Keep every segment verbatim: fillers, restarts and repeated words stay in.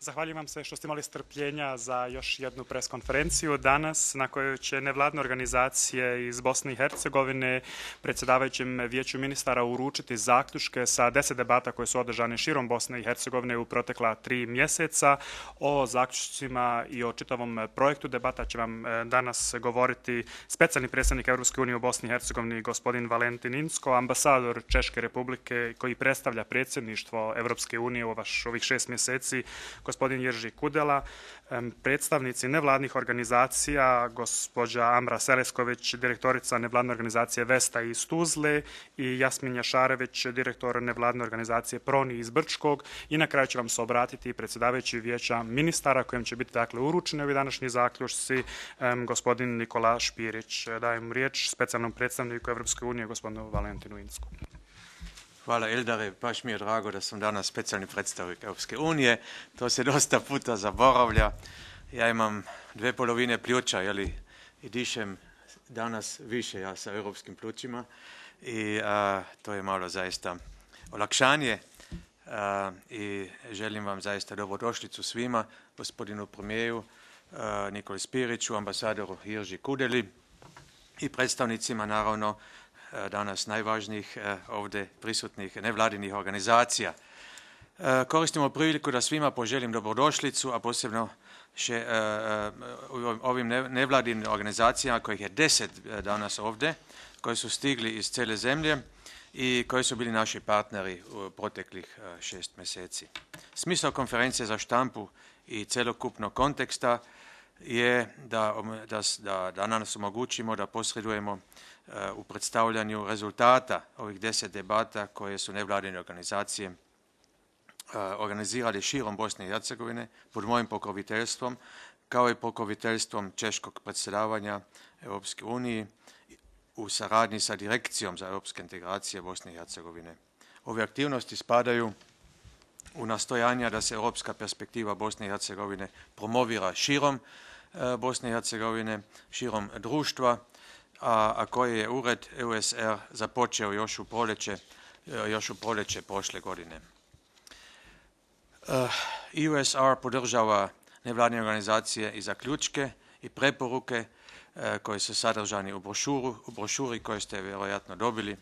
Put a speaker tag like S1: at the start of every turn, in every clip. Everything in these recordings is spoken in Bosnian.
S1: Zahvaljujem vam se što ste imali strpljenja za još jednu preskonferenciju danas na kojoj će nevladne organizacije iz Bosne i Hercegovine predsjedavajućem vijeću ministara uručiti zaključke sa deset debata koje su održane širom Bosne i Hercegovine u protekla tri mjeseca. O zaključcima i o čitavom projektu debata će vam danas govoriti specijalni predstavnik Europske unije u Bosni i Hercegovini gospodin Valentin Inzko, ambasador Češke republike koji predstavlja predsjedništvo Europske unije u ovih šest mjeseci, gospodin Jerži Kudela, predstavnici nevladnih organizacija, gospođa Amra Selesković, direktorica nevladne organizacije Vesta iz Tuzle i Jasmin Jašarević, direktor nevladne organizacije Proni iz Brčkog. I na kraju će vam se obratiti predsjedavajući vijeća ministara kojem će biti dakle uručeni ovi današnji zaključci, gospodin Nikola Špirić. Dajem riječ specijalnom predstavniku Europske unije, gospodinu Valentinu Inzku.
S2: Hvala Eldare, baš mi je drago da sam danas specijalni predstavnik Europske unije. To se dosta puta zaboravlja. Ja imam dve polovine pljuča, jeli, i dišem danas više ja sa europskim plućima i a, to je malo zaista olakšanje a, i želim vam zaista dobrodošlicu svima, gospodinu premijeru Nikoli Špiriću, ambasadoru Jerži Kudeli i predstavnicima naravno danas najvažnijih ovdje prisutnih nevladinih organizacija. Koristimo priliku da svima poželim dobrodošlicu, a posebno še, ovim nevladinim organizacijama kojih je deset danas ovdje, koji su stigli iz cijele zemlje i koji su bili naši partneri u proteklih šest mjeseci. Smisao konferencije za štampu i celokupnog konteksta je da, da, da nas omogućimo da posredujemo u predstavljanju rezultata ovih deset debata koje su nevladine organizacije organizirali širom Bosne i Hercegovine pod mojim pokroviteljstvom, kao i pokroviteljstvom češkog predsjedavanja Europske unije u saradnji sa Direkcijom za europske integracije Bosne i Hercegovine. Ove aktivnosti spadaju u nastojanja da se europska perspektiva Bosne i Hercegovine promovira širom Bosne i Hercegovine, širom društva, a, a koje je ured E U S R započeo još u proljeće, još u proljeće prošle godine. E U S R podržava nevladine organizacije i zaključke i preporuke koje su sadržani u brošuru, u brošuri koju ste vjerojatno dobili.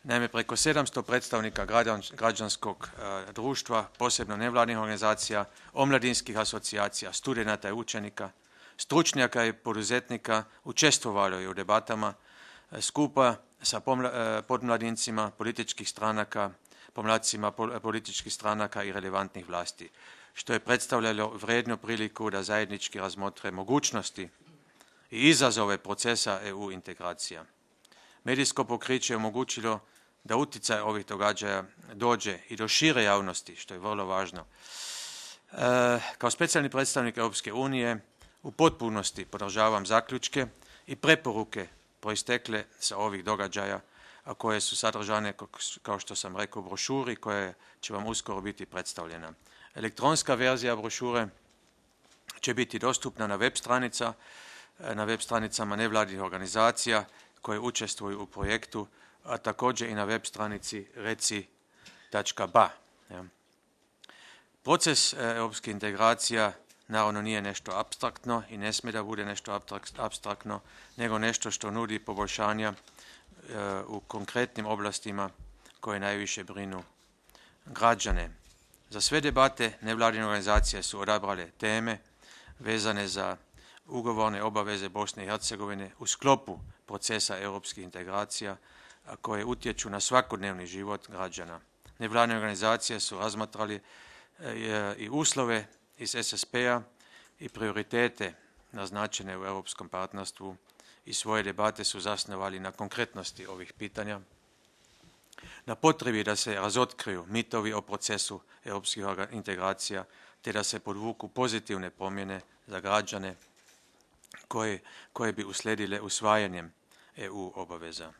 S2: Naime, preko sedamsto predstavnika građanskog društva, posebno nevladnih organizacija, omladinskih asocijacija, studenata i učenika, stručnjaka i poduzetnika učestvovalo je u debatama skupa sa podmladincima političkih stranaka, pomladcima političkih stranaka i relevantnih vlasti, što je predstavljalo vrijednu priliku da zajednički razmotre mogućnosti i izazove procesa E U integracija. Medijsko pokriće je omogućilo da utjecaj ovih događaja dođe i do šire javnosti, što je vrlo važno. E, kao specijalni predstavnik Europske unije u potpunosti podržavam zaključke i preporuke proistekle sa ovih događaja, a koje su sadržane, kao što sam rekao, u brošuri koja će vam uskoro biti predstavljena. Elektronska verzija brošure će biti dostupna na web stranica, na web stranicama nevladinih organizacija koje učestvuju u projektu, a također i na web stranici reci tačka ba. Proces europskih integracija naravno nije nešto apstraktno i ne smije da bude nešto apstraktno, nego nešto što nudi poboljšanja u konkretnim oblastima koje najviše brinu građane. Za sve debate nevladine organizacije su odabrale teme vezane za ugovorne obaveze Bosne i Hercegovine u sklopu procesa europskih integracija, a koje utječu na svakodnevni život građana. Nevladine organizacije su razmatrali i uslove iz S S P-a i prioritete naznačene u europskom partnerstvu i svoje debate su zasnovali na konkretnosti ovih pitanja, na potrebi da se razotkriju mitovi o procesu europskih integracija, te da se podvuku pozitivne promjene za građane koje, koje bi uslijedile usvajanjem E U obaveza.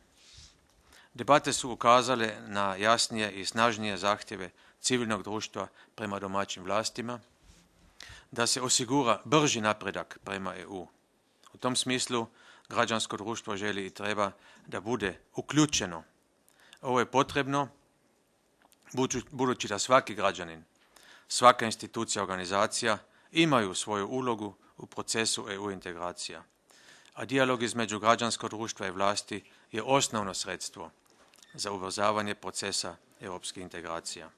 S2: Debate su ukazale na jasnije i snažnije zahtjeve civilnog društva prema domaćim vlastima, da se osigura brži napredak prema E U. U tom smislu građansko društvo želi i treba da bude uključeno. Ovo je potrebno budući da svaki građanin svaka institucija, organizacija imaju svoju ulogu u procesu E U integracija, a dijalog između građanskog društva i vlasti je osnovno sredstvo za ubrzavanje procesa europskih integracija.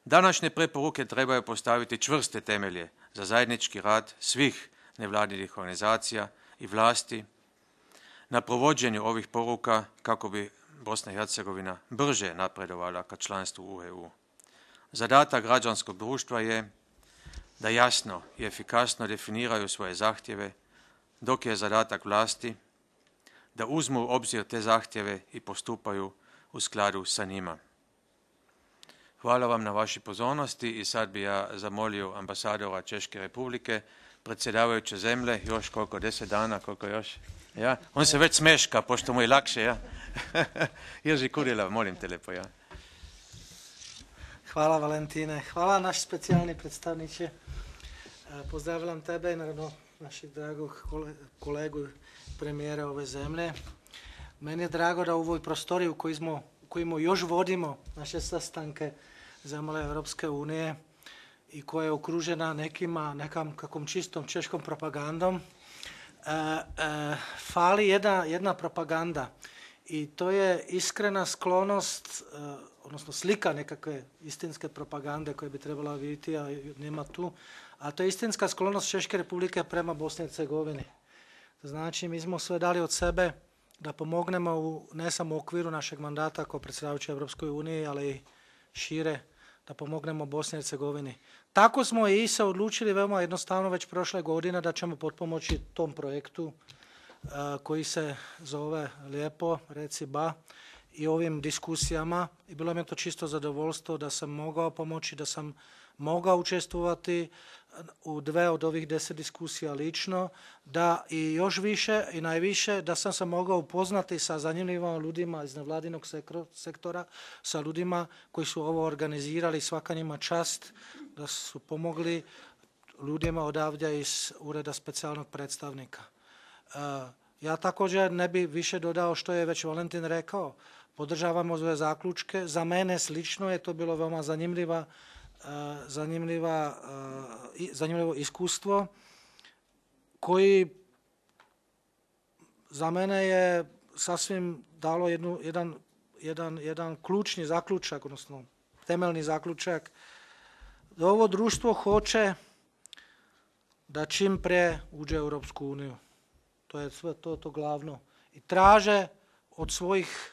S2: Današnje preporuke trebaju postaviti čvrste temelje za zajednički rad svih nevladinih organizacija i vlasti na provođenju ovih poruka kako bi Bosna i Hercegovina brže napredovala ka članstvu u E U. Zadatak građanskog društva je da jasno i efikasno definiraju svoje zahtjeve, dok je zadatak vlasti da uzmu u obzir te zahtjeve i postupaju u skladu sa njima. Hvala vam na vašoj pozornosti i sad bi ja zamolio ambasadora Češke republike, predsjedavajuće zemlje, još koliko, deset dana, koliko još? Ja? On se već smeška, pošto mu je lakše, ja? Jerzy Kurila, molim te lepo, ja?
S3: Hvala Valentine, hvala naš specijalni predstavniče. Pozdravljam tebe i naravno našeg dragog kolegu premijera ove zemlje. Meni je drago da u ovoj prostoriji u kojoj smo, u kojima još vodimo naše sastanke zemlje Europske unije i koja je okružena nekima, nekam kakvom čistom češkom propagandom, e, e, fali jedna, jedna propaganda i to je iskrena sklonost, e, odnosno slika nekakve istinske propagande koje bi trebala vidjeti, a nema tu, a to je istinska sklonost Češke republike prema Bosni i Hercegovini. Znači, mi smo sve dali od sebe da pomognemo u, ne samo u okviru našeg mandata kao predsjedavajući Europskoj uniji, ali i šire, da pomognemo Bosni i Hercegovini. Tako smo i se odlučili veoma jednostavno već prošle godine da ćemo potpomoći tom projektu uh, koji se zove lijepo, reci ba, i ovim diskusijama. I bilo mi je to čisto zadovoljstvo da sam mogao pomoći, da sam mogao učestvovati u dve od ovih deset diskusija lično, da i još više i najviše da sam se mogao upoznati sa zanimljivim ljudima iz nevladinog sektora, sa ljudima koji su ovo organizirali, svaka njima čast, da su pomogli ljudima odavdje iz Ureda specijalnog predstavnika. Ja također ne bi više dodao što je već Valentin rekao. Podržavamo ove zaključke. Za mene slično je to bilo veoma zanimljiva zanimljiva, zanimljivo iskustvo koji za mene je sasvim dalo jednu, jedan, jedan, jedan ključni zaključak, odnosno temeljni zaključak, da ovo društvo hoće da čim pre uđe u Europsku uniju. To je sve to, to glavno. I traže od svojih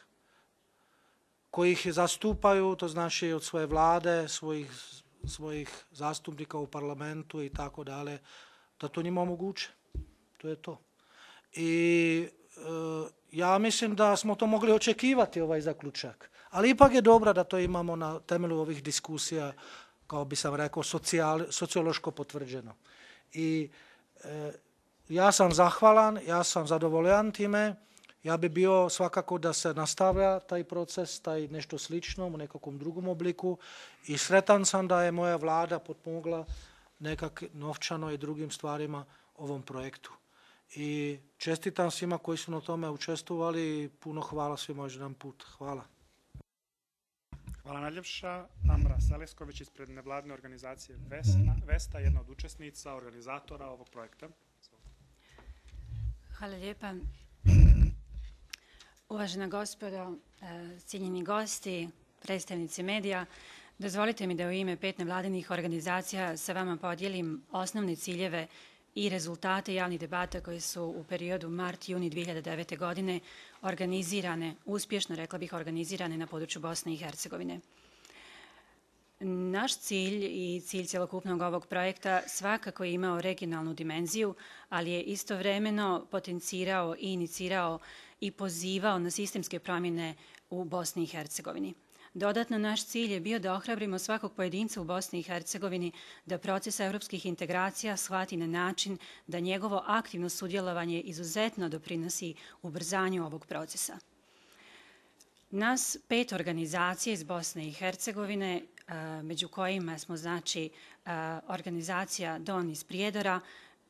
S3: koji ih zastupaju, to znači od svoje vlade, svojih, svojih zastupnika u parlamentu i tako dalje, da to njima omoguće. To je to. I e, ja mislim da smo to mogli očekivati, ovaj zaključak. Ali ipak je dobro da to imamo na temelju ovih diskusija, kao bi sam rekao, socijal, sociološko potvrđeno. I e, ja sam zahvalan, ja sam zadovoljan time. Ja bi bio svakako da se nastavlja taj proces, taj nešto slično u nekakvom drugom obliku i sretan sam da je moja vlada potpomogla nekak novčano i drugim stvarima ovom projektu. I čestitam svima koji su na tome učestvovali i puno hvala svima još jedan put. Hvala.
S1: Hvala najljepša. Amra Selesković ispred nevladne organizacije Vesna, Vesta, jedna od učesnica, organizatora ovog projekta.
S4: Hvala lijepa. Uvažena gospodo, cijenjeni gosti, predstavnici medija, dozvolite mi da u ime pet nevladinih organizacija sa vama podijelim osnovne ciljeve i rezultate javnih debata koji su u periodu mart-juni dvije hiljade devete. godine organizirane, uspješno rekla bih organizirane na području Bosne i Hercegovine. Naš cilj i cilj cjelokupnog ovog projekta svakako je imao regionalnu dimenziju, ali je istovremeno potencirao i inicirao i pozivao na sistemske promjene u Bosni i Hercegovini. Dodatno, naš cilj je bio da ohrabrimo svakog pojedinca u Bosni i Hercegovini da proces evropskih integracija shvati na način da njegovo aktivno sudjelovanje izuzetno doprinosi ubrzanju ovog procesa. Nas pet organizacija iz Bosne i Hercegovine, među kojima smo znači organizacija Don iz Prijedora,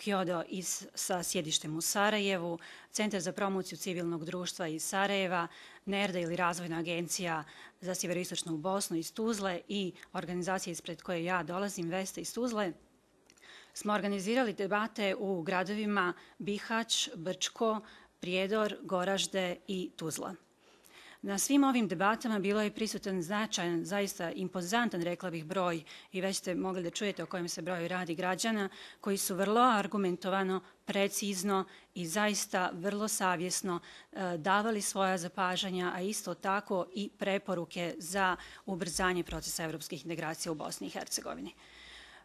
S4: Kyodo iz, sa sjedištem u Sarajevu, Centar za promociju civilnog društva iz Sarajeva, NERDA ili Razvojna agencija za sjeveroistočnu Bosnu iz Tuzle i organizacija ispred koje ja dolazim, Vesta iz Tuzle, smo organizirali debate u gradovima Bihać, Brčko, Prijedor, Goražde i Tuzla. Na svim ovim debatama bilo je prisutan značajan, zaista impozantan, rekla bih, broj, i već ste mogli da čujete o kojem se broju radi, građana, koji su vrlo argumentovano, precizno i zaista vrlo savjesno e, davali svoja zapažanja, a isto tako i preporuke za ubrzanje procesa evropskih integracija u Bosni i Hercegovini.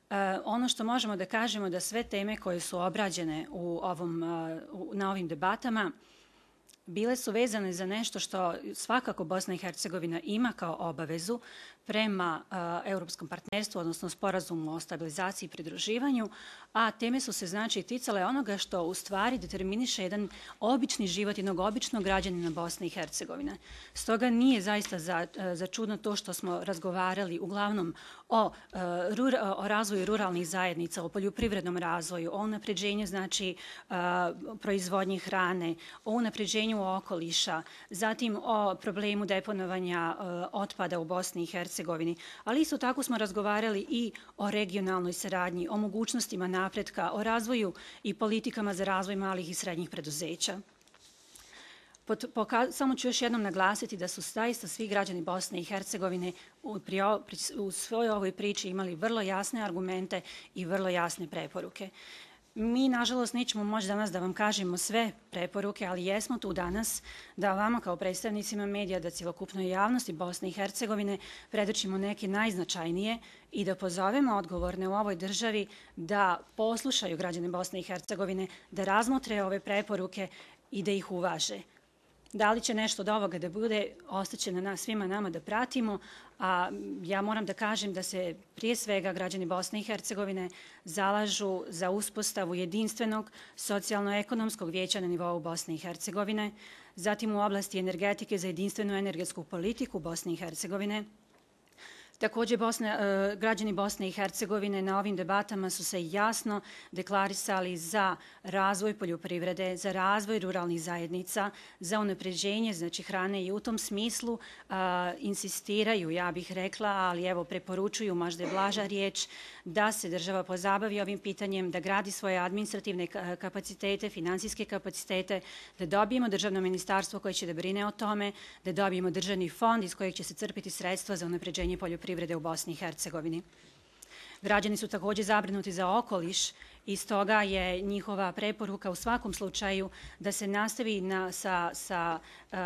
S4: E, ono što možemo da kažemo da sve teme koje su obrađene u ovom, u, na ovim debatama bile su vezane za nešto što svakako Bosna i Hercegovina ima kao obavezu prema uh, europskom partnerstvu, odnosno sporazumu o stabilizaciji i pridruživanju, a teme su se znači ticale onoga što u stvari determiniše jedan obični život jednog običnog građanina Bosne i Hercegovine. Stoga nije zaista za, za čudno to što smo razgovarali uglavnom o, uh, rura, o razvoju ruralnih zajednica, o poljoprivrednom razvoju, o unapređenju znači uh, proizvodnji hrane, o unapređenju okoliša, zatim o problemu deponovanja uh, otpada u Bosni i Hercegovini, ali isto tako smo razgovarali i o regionalnoj saradnji, o mogućnostima napretka, o razvoju i politikama za razvoj malih i srednjih preduzeća. Pod, poka, samo ću još jednom naglasiti da su zaista svi građani Bosne i Hercegovine u, prio, u svojoj ovoj priči imali vrlo jasne argumente i vrlo jasne preporuke. Mi, nažalost, nećemo moći danas da vam kažemo sve preporuke, ali jesmo tu danas da vama kao predstavnicima medija, da cjelokupnoj javnosti Bosne i Hercegovine predočimo neke najznačajnije i da pozovemo odgovorne u ovoj državi da poslušaju građane Bosne i Hercegovine, da razmotre ove preporuke i da ih uvaže. Da li će nešto od ovoga da bude, ostaće na nas, svima nama da pratimo, a ja moram da kažem da se prije svega građani Bosne i Hercegovine zalažu za uspostavu jedinstvenog socijalno-ekonomskog vijeća na nivou Bosne i Hercegovine, zatim u oblasti energetike za jedinstvenu energetsku politiku Bosne i Hercegovine. Također Bosna, građani Bosne i Hercegovine na ovim debatama su se jasno deklarisali za razvoj poljoprivrede, za razvoj ruralnih zajednica, za unapređenje znači hrane i u tom smislu a, insistiraju, ja bih rekla, ali evo preporučuju, možda je blaža riječ, da se država pozabavi ovim pitanjem, da gradi svoje administrativne kapacitete, finansijske kapacitete, da dobijemo državno ministarstvo koje će da brine o tome, da dobijemo državni fond iz kojeg će se crpiti sredstva za unapređenje poljoprivrede privrede u Bosni i Hercegovini. Građani su također zabrinuti za okoliš i stoga je njihova preporuka u svakom slučaju da se nastavi na, sa, sa uh,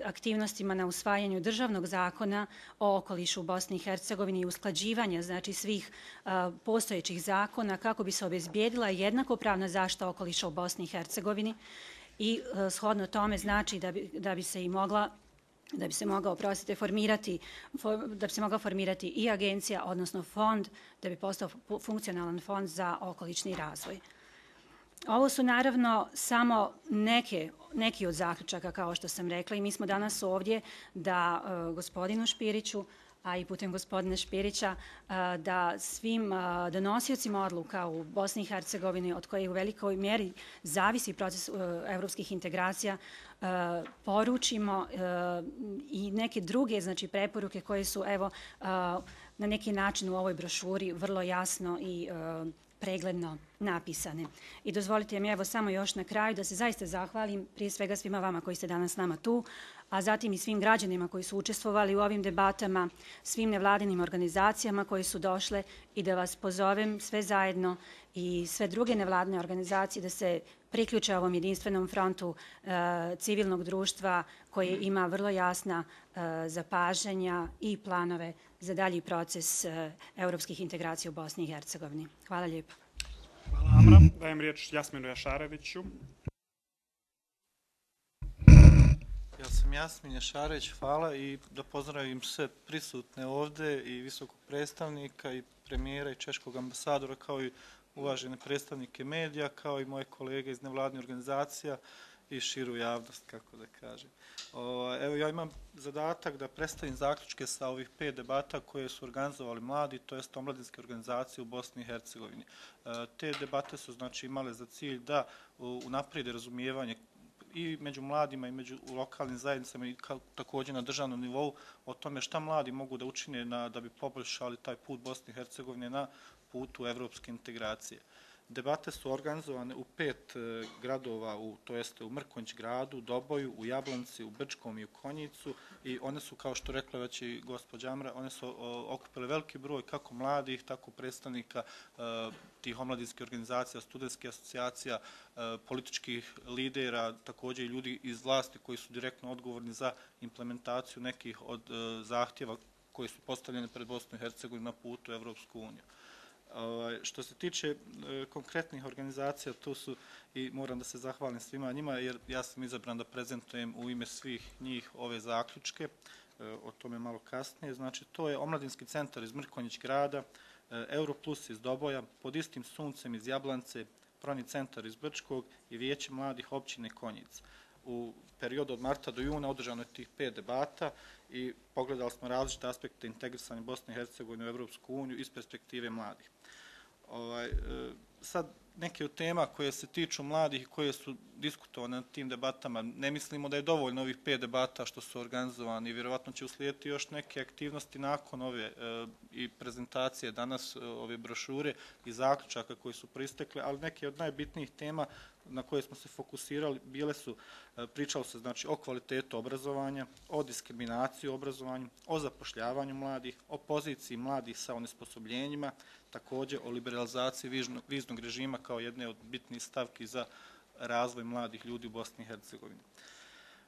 S4: aktivnostima na usvajanju državnog zakona o okolišu u Bosni i Hercegovini i usklađivanja znači svih uh, postojećih zakona kako bi se obezbijedila jednakopravna zaštita okoliša u Bosni i Hercegovini i uh, shodno tome znači da bi, da bi se i mogla da bi se mogao, oprostite, formirati, da bi se mogla formirati i agencija, odnosno fond, da bi postao funkcionalan fond za okolični razvoj. Ovo su naravno samo neke, neki od zaključaka, kao što sam rekla, i mi smo danas ovdje da uh, gospodinu Špiriću, a i putem gospodina Špirića, da svim donosiocima odluka u Bosni i Hercegovini, od koje u velikoj mjeri zavisi proces evropskih integracija, poručimo i neke druge znači, preporuke koje su evo, na neki način u ovoj brošuri vrlo jasno i pregledno napisane. I dozvolite mi evo samo još na kraju da se zaista zahvalim prije svega svima vama koji ste danas s nama tu, a zatim i svim građanima koji su učestvovali u ovim debatama, svim nevladinim organizacijama koji su došle i da vas pozovem sve zajedno i sve druge nevladine organizacije da se priključe ovom jedinstvenom frontu e, civilnog društva koje ima vrlo jasna e, zapažanja i planove za dalji proces e, evropskih integracija u Bosni i Hercegovini. Hvala lijepo.
S1: Hvala Amra. Dajem riječ Jasminu Jašareviću.
S5: Ja sam Jasmin Jašarević, hvala i da pozdravim sve prisutne ovdje i visokog predstavnika i premijera i češkog ambasadora kao i uvažene predstavnike medija, kao i moje kolege iz nevladnih organizacija i širu javnost, kako da kažem. O, evo, ja imam zadatak da predstavim zaključke sa ovih pet debata koje su organizovali mladi, to jest omladinske organizacije u Bosni i Hercegovini. E, te debate su znači imale za cilj da unaprijede razumijevanje i među mladima i među lokalnim zajednicama i kao, također na državnom nivou o tome šta mladi mogu da učine na, da bi poboljšali taj put Bosne i Hercegovine na putu evropske integracije. Debate su organizovane u pet e, gradova, u, to jeste u Mrkonjić gradu, Doboju, u Jablanci, u Brčkom i u Konjicu i one su, kao što rekla već i gospođa Amra, one su o, okupile veliki broj kako mladih, tako predstavnika e, tih omladinskih organizacija, studentskih asocijacija, e, političkih lidera, također i ljudi iz vlasti koji su direktno odgovorni za implementaciju nekih od e, zahtjeva koji su postavljeni pred Bosnu i Hercegovinu na putu u Evropsku uniju. Što se tiče e, konkretnih organizacija, tu su i moram da se zahvalim svima njima, jer ja sam izabran da prezentujem u ime svih njih ove zaključke, e, o tome malo kasnije. Znači, to je Omladinski centar iz Mrkonjić grada, e, Europlus iz Doboja, Pod istim suncem iz Jablance, Proni centar iz Brčkog i Vijeće mladih općine Konjic. U periodu od marta do juna održano je tih pet debata i pogledali smo različite aspekte integrisanja Bosne i Hercegovine u Evropsku uniju iz perspektive mladih. Ovaj, e, sad, neke od tema koje se tiču mladih i koje su diskutovane na tim debatama, ne mislimo da je dovoljno ovih pet debata što su organizovani i vjerovatno će uslijediti još neke aktivnosti nakon ove e, i prezentacije danas, ove brošure i zaključaka koji su pristekle, ali neke od najbitnijih tema na koje smo se fokusirali bile su, pričalo se znači o kvalitetu obrazovanja, o diskriminaciji u obrazovanju, o zapošljavanju mladih, o poziciji mladih sa onesposobljenjima, također o liberalizaciji viznog, viznog režima kao jedne od bitnih stavki za razvoj mladih ljudi u Bosni i Hercegovini.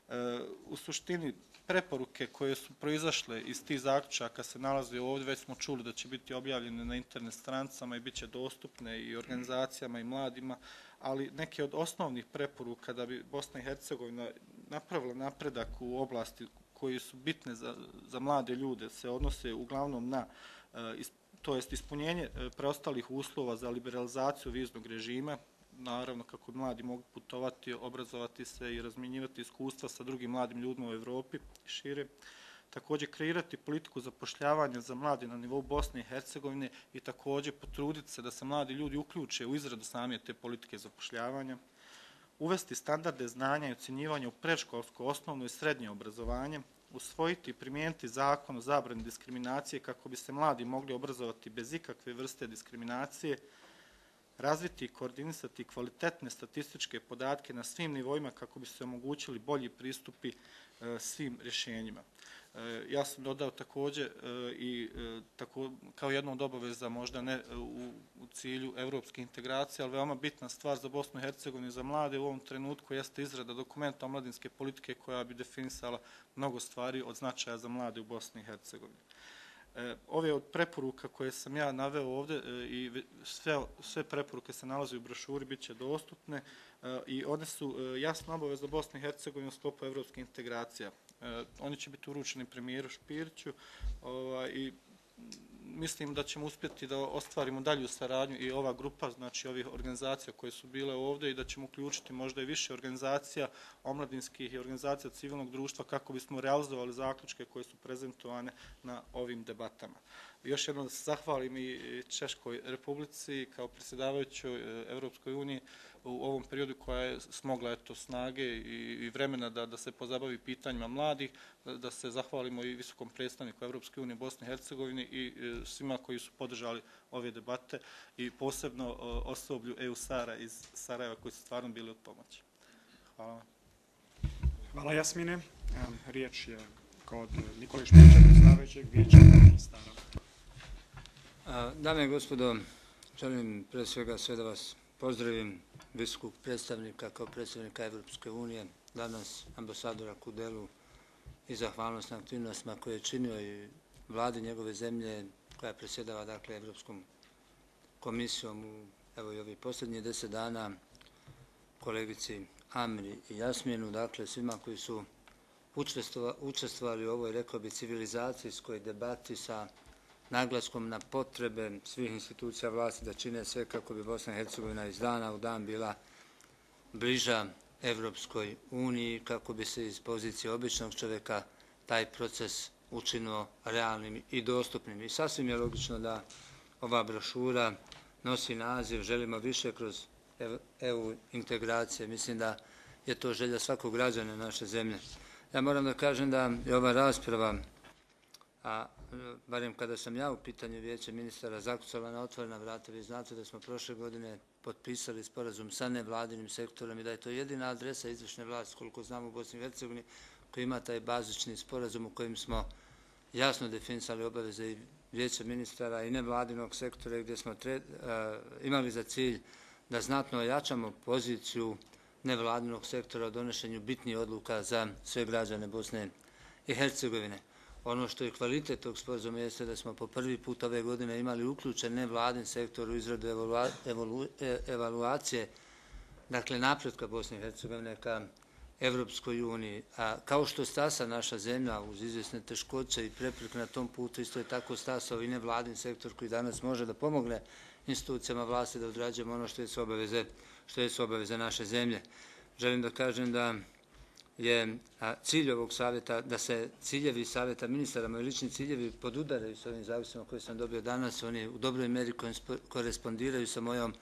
S5: E, u suštini, preporuke koje su proizašle iz tih zaključaka se nalaze ovdje, već smo čuli da će biti objavljene na internet stranicama i bit će dostupne i organizacijama i mladima, ali neke od osnovnih preporuka da bi Bosna i Hercegovina napravila napredak u oblasti koji su bitne za, za mlade ljude se odnose uglavnom na to jest ispunjenje preostalih uslova za liberalizaciju viznog režima, naravno kako mladi mogu putovati, obrazovati se i razmjenjivati iskustva sa drugim mladim ljudima u Evropi i šire. Također kreirati politiku zapošljavanja za mlade na nivou Bosne i Hercegovine i također potruditi se da se mladi ljudi uključe u izradu same te politike zapošljavanja. Uvesti standarde znanja i ocjenjivanja u predškolsko, osnovno i srednje obrazovanje. Usvojiti i primijeniti zakon o zabrani diskriminacije kako bi se mladi mogli obrazovati bez ikakve vrste diskriminacije. Razviti i koordinisati kvalitetne statističke podatke na svim nivoima kako bi se omogućili bolji pristupi e, svim rješenjima. E, ja sam dodao također e, i e, tako, kao jednu od obaveza, možda ne u, u cilju evropske integracije, ali veoma bitna stvar za Bosnu i Hercegovinu i za mlade u ovom trenutku jeste izrada dokumenta omladinske politike koja bi definisala mnogo stvari od značaja za mlade u Bosni i Hercegovini. Ove od preporuka koje sam ja naveo ovdje i sve, sve preporuke se nalaze u brošuri, bit će dostupne i one su jasno obaveza Bosne i Hercegovine u sklopu evropske integracija. Oni će biti uručeni premijeru Špiriću i mislim da ćemo uspjeti da ostvarimo dalju saradnju i ova grupa, znači ovih organizacija koje su bile ovdje i da ćemo uključiti možda i više organizacija omladinskih i organizacija civilnog društva kako bismo realizovali zaključke koje su prezentovane na ovim debatama. Još jednom da se zahvalim i Češkoj Republici kao predsjedavajućoj Evropskoj uniji u ovom periodu koja je smogla eto, snage i, i vremena da, da se pozabavi pitanjima mladih, da, da se zahvalimo i visokom predstavniku Evropske unije Bosne i Hercegovine i e, svima koji su podržali ove debate i posebno e, osoblju E U SAR-a iz Sarajeva koji su stvarno bili od pomoći. Hvala vam.
S1: Hvala Jasmine. Riječ je kod Nikole Špića, predsjedavajućeg Vijeća ministara.
S6: Dame i gospodo, želim pre svega sve da vas pozdravim, visokog predstavnika kao predstavnika Evropske unije, danas ambasadora Kudelu i zahvalnost na aktivnostima koje je činio i vladi njegove zemlje koja predsjedava dakle Evropskom komisijom u evo i ovih posljednjih deset dana, kolegici Amri i Jasminu, dakle svima koji su učestvovali u ovoj, rekao bi, civilizacijskoj debati sa naglaskom na potrebe svih institucija vlasti da čine sve kako bi Bosna i Hercegovina iz dana u dan bila bliža Evropskoj uniji, kako bi se iz pozicije običnog čovjeka taj proces učinio realnim i dostupnim. I sasvim je logično da ova brošura nosi naziv "Želimo više kroz E U integracije". Mislim da je to želja svakog građana naše zemlje. Ja moram da kažem da je ova rasprava, a barem kada sam ja u pitanju Vijeća ministara, zakucala na otvorena vrata. Vi znate da smo prošle godine potpisali sporazum sa nevladinim sektorom i da je to jedina adresa izvršne vlasti, koliko znamo, u Bosni i Hercegovini, koji ima taj bazični sporazum u kojem smo jasno definisali obaveze i Vijeća ministara i nevladinog sektora, gdje smo tre, a, imali za cilj da znatno ojačamo poziciju nevladinog sektora u donošenju bitnih odluka za sve građane Bosne i Hercegovine. Ono što je kvalitet tog sporazuma jeste da smo po prvi put ove godine imali uključen nevladin sektor u izradu evalua, evalu, evaluacije, dakle napretka Bosne i Hercegovine ka Evropskoj uniji. A kao što stasa naša zemlja uz izvjesne teškoće i prepreke na tom putu, isto je tako stasao i nevladin sektor koji danas može da pomogne institucijama vlasti da odrađujemo ono što je su obaveze, što je su obaveze naše zemlje. Želim da kažem da je cilj ovog savjeta, da se ciljevi savjeta ministara, moji lični ciljevi podudaraju s ovim zavisima koje sam dobio danas. Oni u dobroj meri korespondiraju sa mojom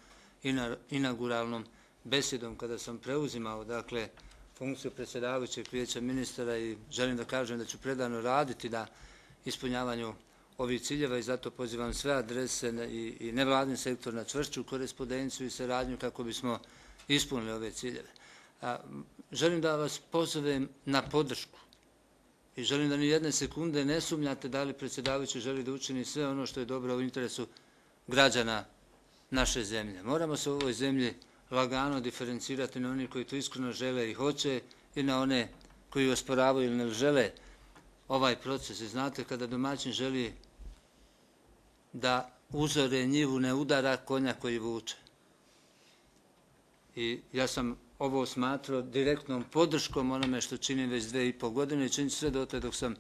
S6: inauguralnom besjedom kada sam preuzimao, dakle, funkciju predsjedavajućeg Vijeća ministara, i želim da kažem da ću predano raditi na ispunjavanju ovih ciljeva i zato pozivam sve adrese i, i nevladin sektor na čvršću korespondenciju i saradnju kako bismo ispunili ove ciljeve. A, želim da vas pozovem na podršku i želim da ni jedne sekunde ne sumnjate da li predsjedavajući želi da učini sve ono što je dobro u interesu građana naše zemlje. Moramo se u ovoj zemlji lagano diferencirati na oni koji to iskreno žele i hoće i na one koji osporavaju ili ne žele ovaj proces. I znate, kada domaćin želi da uzore njivu, ne udara konja koji vuče. I ja sam ovo smatrao direktnom podrškom onome što činim već dve i pol godine i činim sve dotle dok sam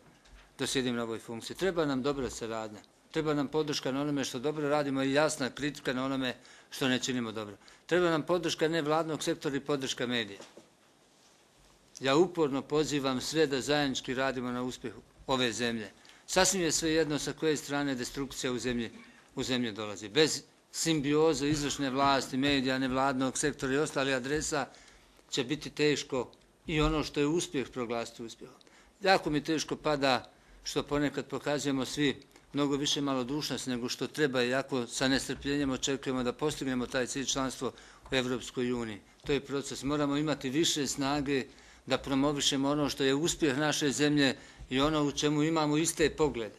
S6: dosjedim na ovoj funkciji. Treba nam dobra saradnja, treba nam podrška na onome što dobro radimo i jasna kritika na onome što ne činimo dobro. Treba nam podrška nevladnog sektora i podrška medija. Ja uporno pozivam sve da zajednički radimo na uspjehu ove zemlje. Sasvim je sve jedno sa koje strane destrukcija u zemlji, u zemlji dolazi. Bez simbioze izvršne vlasti, medija, nevladnog sektora i ostalih adresa će biti teško i ono što je uspjeh proglasiti uspjehom. Jako mi teško pada što ponekad pokazujemo svi mnogo više malodušnosti nego što treba i jako sa nestrpljenjem očekujemo da postignemo taj cilj članstvo u Evropskoj uniji. To je proces. Moramo imati više snage da promovišemo ono što je uspjeh naše zemlje i ono u čemu imamo iste poglede.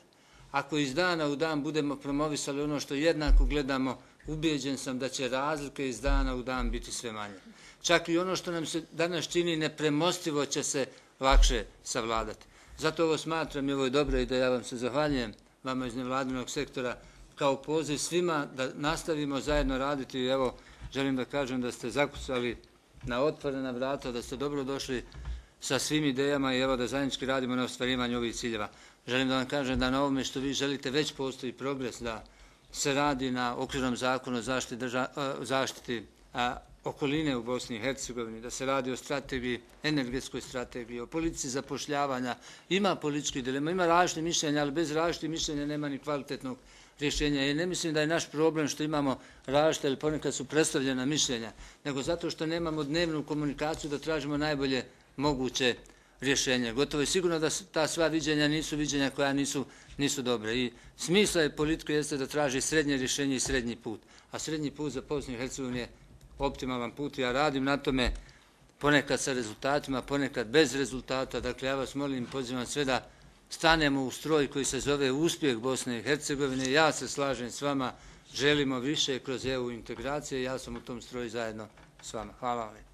S6: Ako iz dana u dan budemo promovisali ono što jednako gledamo, ubijeđen sam da će razlike iz dana u dan biti sve manje. Čak i ono što nam se danas čini nepremostivo će se lakše savladati. Zato ovo smatram i ovo je dobro i da ja vam se zahvaljujem, vama iz nevladinog sektora, kao poziv svima da nastavimo zajedno raditi. I evo, želim da kažem da ste zakucali na otvorena vrata, da ste dobro došli sa svim idejama i evo da zajednički radimo na ostvarivanju ovih ciljeva. Želim da vam kažem da na ovome što vi želite već postoji progres, da se radi na okvirnom zakonu o zaštiti, drža, zaštiti a, okoline u Bosni i Hercegovini, da se radi o strategiji, energetskoj strategiji, o politici zapošljavanja. Ima političkih dilema, ima različitih mišljenja, ali bez različitih mišljenja nema ni kvalitetnog rješenja. I ne mislim da je naš problem što imamo različite ili ponekad su predstavljena mišljenja, nego zato što nemamo dnevnu komunikaciju da tražimo najbolje moguće rješenje. Gotovo je sigurno da ta sva viđenja nisu viđenja koja nisu, nisu dobre. I smisla je politike jeste da traži srednje rješenje i srednji put. A srednji put za Bosnu i Hercegovinu je optimalan put. Ja radim na tome ponekad sa rezultatima, ponekad bez rezultata. Dakle, ja vas molim, pozivam sve da stanemo u stroj koji se zove uspjeh Bosne i Hercegovine. Ja se slažem s vama, želimo više kroz E U integracije. Ja sam u tom stroju zajedno s vama. Hvala vam.